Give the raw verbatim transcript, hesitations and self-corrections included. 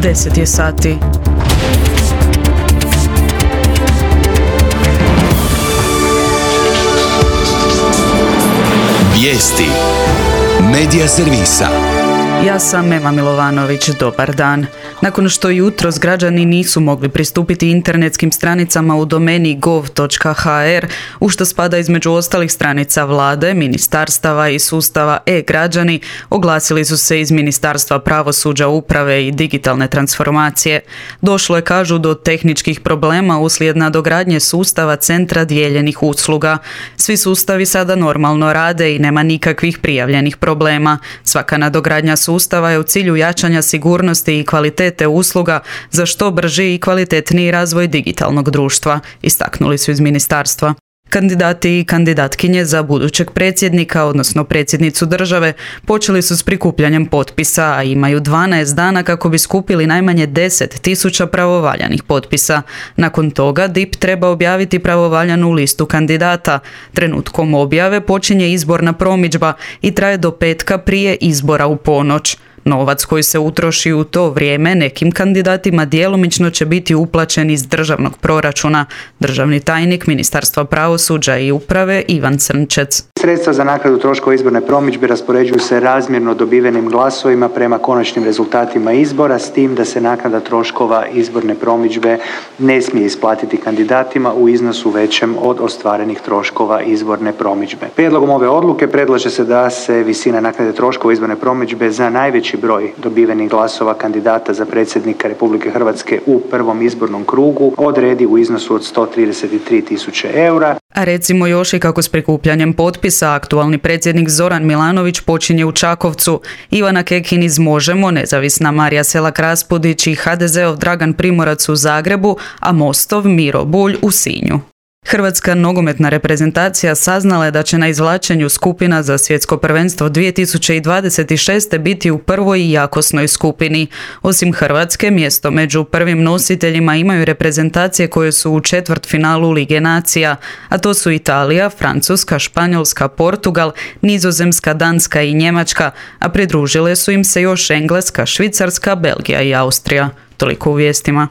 deset je sati. Vijesti Medija servisa. Ja sam Ema Milovanović, dobar dan. Nakon što jutros građani nisu mogli pristupiti internetskim stranicama u domeni gov točka ha er, u što spada između ostalih stranica vlade, ministarstava i sustava e-građani, oglasili su se iz Ministarstva pravosuđa, uprave i digitalne transformacije. Došlo je, kažu, do tehničkih problema uslijed nadogradnje sustava centra dijeljenih usluga. Svi sustavi sada normalno rade i nema nikakvih prijavljenih problema. Svaka nadogradnja sustava je u cilju jačanja sigurnosti i kvalitete usluga za što brži i kvalitetniji razvoj digitalnog društva, istaknuli su iz ministarstva. Kandidati i kandidatkinje za budućeg predsjednika, odnosno predsjednicu države, počeli su s prikupljanjem potpisa, a imaju dvanaest dana kako bi skupili najmanje deset tisuća pravovaljanih potpisa. Nakon toga D I P treba objaviti pravovaljanu listu kandidata. Trenutkom objave počinje izborna promidžba i traje do petka prije izbora u ponoć. Novac koji se utroši u to vrijeme nekim kandidatima djelomično će biti uplaćen iz državnog proračuna. Državni tajnik Ministarstva pravosuđa i uprave Ivan Crnčec. Sredstva za naknadu troškova izborne promidžbe raspoređuju se razmjerno dobivenim glasovima prema konačnim rezultatima izbora, s tim da se naknada troškova izborne promidžbe ne smije isplatiti kandidatima u iznosu većem od ostvarenih troškova izborne promidžbe. Prijedlogom ove odluke predlaže se da se visina naknade troškova izborne promidžbe za najveći broj dobivenih glasova kandidata za predsjednika Republike Hrvatske u prvom izbornom krugu odredi u iznosu od sto trideset tri tisuće eura. A recimo još i kako s prikupljanjem potpisa aktualni predsjednik Zoran Milanović počinje u Čakovcu, Ivana Kekin iz Možemo, nezavisna Marija Selak-Raspudić i ha de zeov Dragan Primorac u Zagrebu, a Mostov Miro Bulj u Sinju. Hrvatska nogometna reprezentacija saznala je da će na izvlačenju skupina za svjetsko prvenstvo dvije tisuće dvadeset šeste. biti u prvoj i jakosnoj skupini. Osim Hrvatske, mjesto među prvim nositeljima imaju reprezentacije koje su u četvrtfinalu Lige nacija, a to su Italija, Francuska, Španjolska, Portugal, Nizozemska, Danska i Njemačka, a pridružile su im se još Engleska, Švicarska, Belgija i Austrija. Toliko u vijestima.